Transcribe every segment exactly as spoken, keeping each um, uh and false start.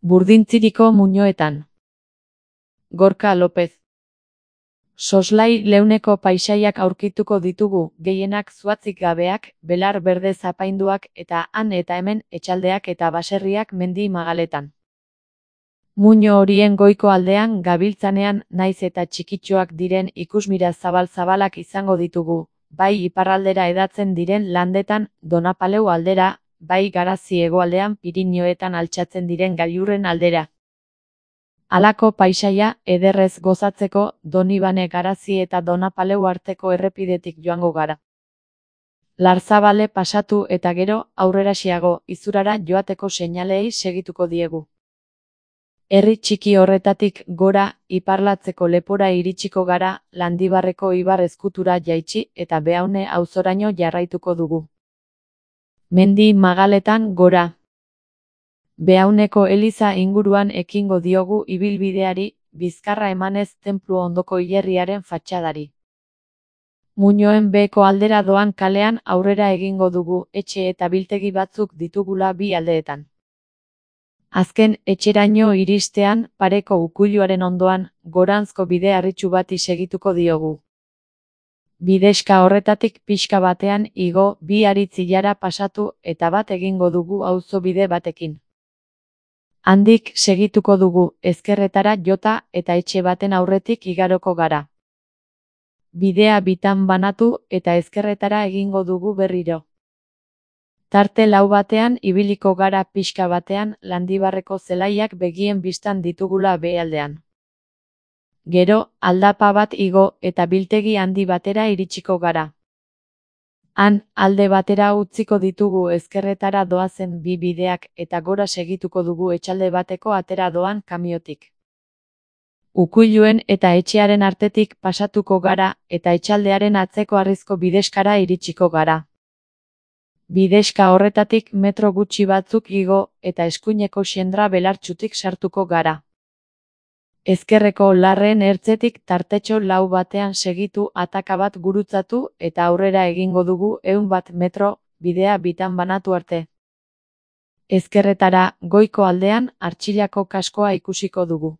Burdintziriko muinoetan. Gorka Lopez. Soslai leuneko paisaiak aurkituko ditugu, gehienak zuhatzik gabeak, belar berdez apainduak eta han eta hemen etxaldeak eta baserriak mendi magaletan. Muino horien goiko aldean gabiltzanean naiz eta txikitxoak diren ikusmira zabal-zabalak izango ditugu, bai iparraldera edatzen diren landetan Donapaleu aldera, bai Garazi hegoaldean Pirinioetan altxatzen diren gailurren aldera. Halako paisaia ederrez gozatzeko Donibane Garazi eta Donapaleu arteko errepidetik joango gara. Larzabale pasatu eta gero aurrerasiago Izurara joateko seinaleei segituko diegu. Herri txiki horretatik gora iparlatzeko lepora iritsiko gara, Landibarreko ibar ezkutura jaitsi eta Beaune auzoraino jarraituko dugu. Mendi magaletan gora. Beauneko eliza inguruan ekingo diogu ibilbideari, bizkarra emanez tenplu ondoko hilerriaren fatxadari. Muinoen beheko aldera doan kalean aurrera egingo dugu, etxe eta biltegi batzuk ditugula bi aldeetan. Azken etxeraino iristean, pareko ukuiluaren ondoan, goranzko bide harritsu bati segituko diogu. Bidexka horretatik pixka batean igo, bi haritzilara pasatu eta bat egingo dugu auzo bide batekin. Handik segituko dugu, ezkerretara jota eta etxe baten aurretik igaroko gara. Bidea bitan banatu eta ezkerretara egingo dugu berriro. Tarte lau batean ibiliko gara pixka batean Landibarreko zelaiak begien bistan ditugula behealdean. Gero, aldapa bat igo eta biltegi handi batera iritsiko gara. Han, alde batera utziko ditugu ezkerretara doazen bi bideak eta gora segituko dugu etxalde bateko atera doan kamiotik. Ukuiluen eta etxearen artetik pasatuko gara eta etxaldearen atzeko harrizko bidexkara iritsiko gara. Bidexka horretatik metro gutxi batzuk igo eta eskuineko xendra belartsutik sartuko gara. Ezkerreko larreen ertzetik tartetxo lau batean segitu ataka bat gurutzatu eta aurrera egingo dugu ehun bat metro, bidea bitan banatu arte. Ezkerretara, goiko aldean, Artxilako kaskoa ikusiko dugu.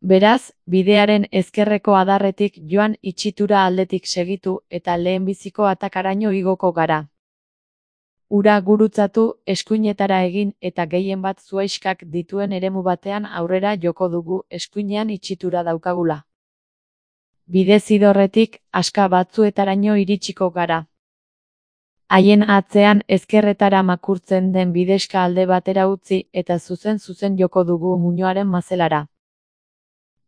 Beraz, bidearen ezkerreko adarretik joan itxitura aldetik segitu eta lehenbiziko atakaraino igoko gara. Ura gurutzatu, eskuinetara egin eta gehien bat zuaiskak dituen eremu batean aurrera joko dugu eskuinean itxitura daukagula. Bidezidorretik, aska batzuetaraino iritsiko gara. Haien atzean ezkerretara makurtzen den bidexka alde batera utzi eta zuzen-zuzen joko dugu muinoaren mazelara.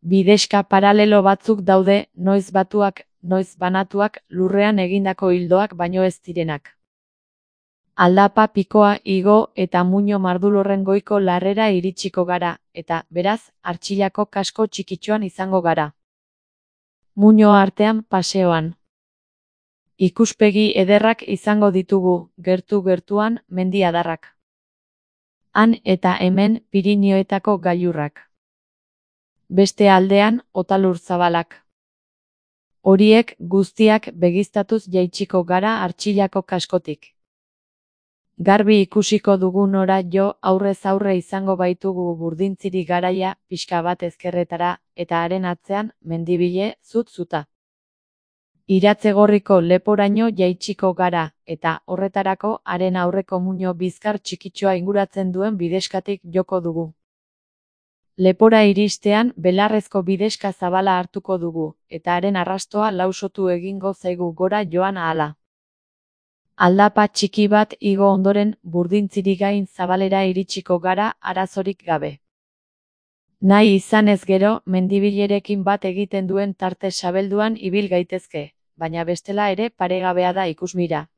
Bidexka paralelo batzuk daude, noiz batuak, noiz banatuak, lurrean egindako hildoak baino ez direnak. Aldapa pikoa igo eta muino mardulorren goiko larrera iritsiko gara, eta, beraz, Artxilako kasko txikitxoan izango gara. Muino artean paseoan. Ikuspegi ederrak izango ditugu, gertu-gertuan mendi adarrak. Han eta hemen Pirinioetako gailurrak. Beste aldean, otalur zabalak. Horiek guztiak begiztatuz jaitsiko gara Artxilako kaskotik. Garbi ikusiko dugu nora jo aurrez aurre izango baitugu Burdintziri garaia pixka bat ezkerretara eta haren atzean mendibile zut-zuta. Iratzegorriko leporaino jaitsiko gara eta horretarako haren aurreko muino bizkar txikitxoa inguratzen duen bidexkatik joko dugu. Lepora iristean belarrezko bidexka zabala hartuko dugu eta haren arrastoa lausotu egingo zaigu gora joan ahala. Aldapa txiki bat igo ondoren Burdintziri gain zabalera iritsiko gara arazorik gabe. Nahi izanez gero, mendibilerekin bat egiten duen tarte sabelduan ibil gaitezke, baina bestela ere paregabea da ikusmira.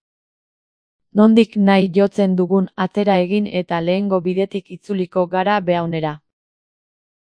Nondik nahi jotzen dugun atera egin eta lehengo bidetik itzuliko gara Beaunera.